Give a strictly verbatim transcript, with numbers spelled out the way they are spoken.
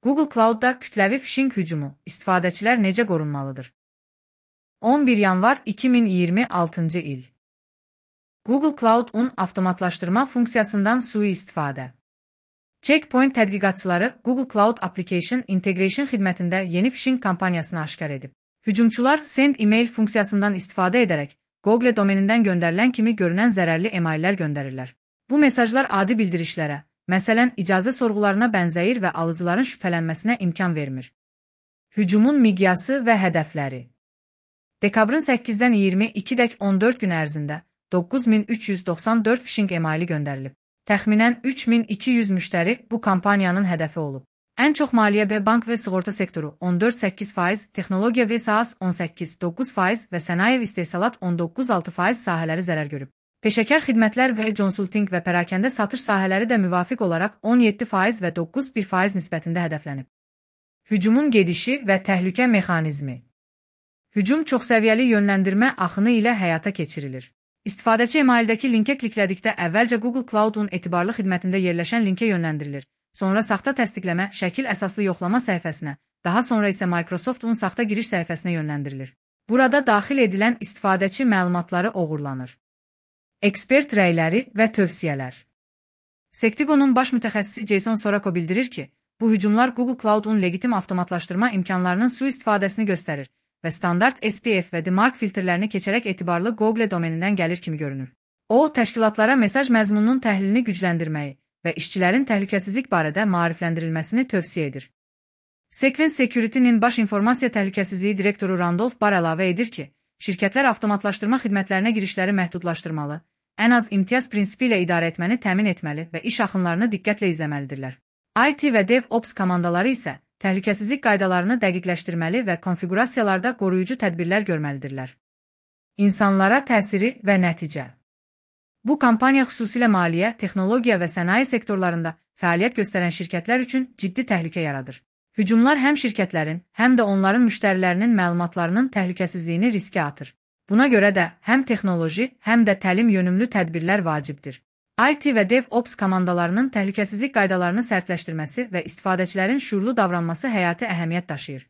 Google Cloud'da kütləvi phishing hücumu, istifadəçilər necə qorunmalıdır? on bir yanvar iki min iyirmi altıncı il. Google Cloud-un avtomatlaşdırma funksiyasından sui-istifadə. Checkpoint tədqiqatçıları Google Cloud Application Integration xidmətində yeni phishing kampaniyasını aşkar edib. Hücumçular Send Email funksiyasından istifadə edərək Google domenindən göndərilən kimi görünən zərərli emaillər göndərirlər. Bu mesajlar adi bildirişlərə, məsələn, icazə sorğularına bənzəyir və alıcıların şübhələnməsinə imkan vermir. Hücumun miqyası və hədəfləri. Dekabrın səkkizdən iyirmi ikidək on dörd gün ərzində doqquz min üç yüz doxsan dörd phishing emaili göndərilib. Təxminən üç min iki yüz müştəri bu kampaniyanın hədəfi olub. Ən çox maliyyə və bank və sığorta sektoru on dörd səkkiz faiz, texnologiya və SaaS on səkkiz doqquz faiz və sənaye və istehsalat on doqquz altı faiz sahələri zərər görüb. Peşəkar xidmətlər və consulting və pərakəndə satış sahələri də müvafiq olaraq on yeddi faiz və doqquz bir faiz nisbətində hədəflənib. Hücumun gedişi və təhlükə mexanizmi. Hücum çoxsəviyyəli yönləndirmə axını ilə həyata keçirilir. İstifadəçi emaildəki linkə kliklədikdə əvvəlcə Google Cloud-un etibarlı xidmətində yerləşən linkə yönləndirilir. Sonra saxta təsdiqləmə, şəkil əsaslı yoxlama səhifəsinə, daha sonra isə Microsoft-un saxta giriş səhifəsinə yönləndirilir. Burada daxil edilən istifadəçi məlumatları oğurlanır. Ekspert rəyləri və tövsiyələr. Sectigonun baş mütəxəssisi Jason Sorako bildirir ki, bu hücumlar Google Cloud-un legitim avtomatlaşdırma imkanlarının sui-istifadəsini göstərir və standart S P F və D MARC filtrlərini keçərək etibarlı Google domenindən gəlir kimi görünür. O, təşkilatlara mesaj məzmununun təhlilini gücləndirməyi və işçilərin təhlükəsizlik barədə maarifləndirilməsini tövsiyə edir. Sequence Security-nin baş informasiya təhlükəsizliyi direktoru Randolph Barr əlavə edir ki, şirkətlər avtomatlaşdırma xidmətlərinə girişləri məhdudlaşdırmalı, ən az imtiyaz prinsipi ilə idarə etməni təmin etməli və iş axınlarını diqqətlə izləməlidirlər. I T və DevOps komandaları isə təhlükəsizlik qaydalarını dəqiqləşdirməli və konfiqurasiyalarda qoruyucu tədbirlər görməlidirlər. İnsanlara təsiri və nəticə. Bu kampaniya xüsusilə maliyyə, texnologiya və sənaye sektorlarında fəaliyyət göstərən şirkətlər üçün ciddi təhlükə yaradır. Hücumlar həm şirkətlərin, həm də onların müştərilərinin məlumatlarının təhlükəsizliyini riskə atır. Buna görə də həm texnoloji, həm də təlim yönümlü tədbirlər vacibdir. I T və DevOps komandalarının təhlükəsizlik qaydalarını sərtləşdirməsi və istifadəçilərin şuurlu davranması həyati əhəmiyyət daşıyır.